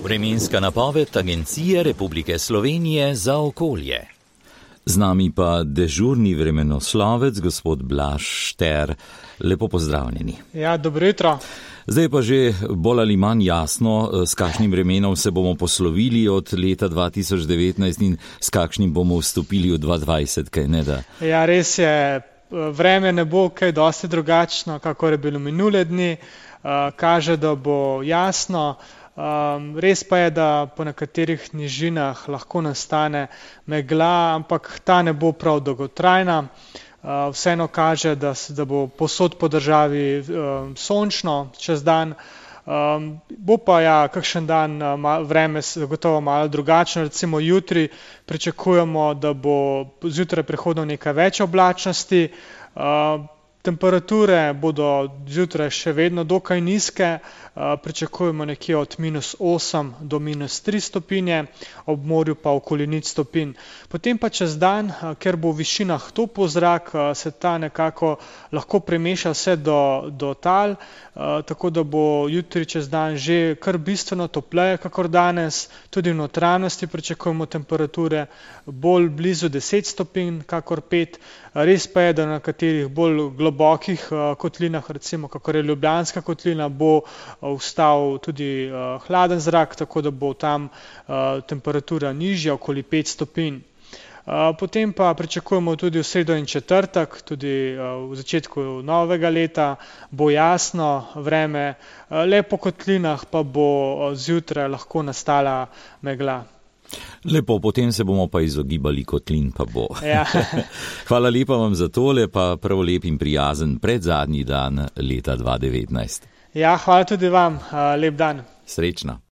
Vremenska napoved Agencije Republike Slovenije za okolje. Z nami pa dežurni vremenoslovec, gospod Blaž Šter. Lepo pozdravljeni. Ja, dobro jutro. Zdaj pa že bolj ali manj jasno, s kakšnim vremenom se bomo poslovili od leta 2019 in s kakšnim bomo vstopili v 2020, kaj ne da? Ja, res je. Vreme ne bo kaj dosti drugačno, kakor je bilo minule dni. Kaže, da bo jasno. Res pa je, da po nekaterih nižinah lahko nastane megla, ampak ta ne bo prav dolgotrajna. Vseeno kaže, da bo povsod po državi sončno čez dan. Bo pa kakšen dan vreme zagotovo malo drugačno. Recimo jutri pričakujemo, da bo zjutraj prihodno nekaj več oblačnosti. Temperature bodo zjutraj še vedno dokaj nizke, pričakujemo nekje od -8 do -3 stopinje, ob morju pa okoli 0 stopinj. Potem pa čez dan, ker bo v višinah topel zrak, se ta nekako lahko premeša vse do tal, tako da bo jutri čez dan že kar bistveno topleje kakor danes. Tudi v notranjosti pričakujemo temperature bolj blizu 10 stopinj kakor 5. Res pa je, da na nekaterih bolj globokih kotlinah, recimo kakor je Ljubljanska kotlina, bo vstal tudi hladen zrak, tako da bo tam temperatura nižja, okoli 5 stopinj. Potem pa pričakujemo tudi v sredo in četrtek, tudi v začetku novega leta bo jasno vreme, le po kotlinah pa bo zjutraj lahko nastala megla. Lepo, potem se bomo pa izogibali kotlin, pa bo. Ja. Hvala lepa vam za tole, pa prav lep in prijazen predzadnji dan leta 2019. Ja, hvala tudi vam. Lep dan. Srečno.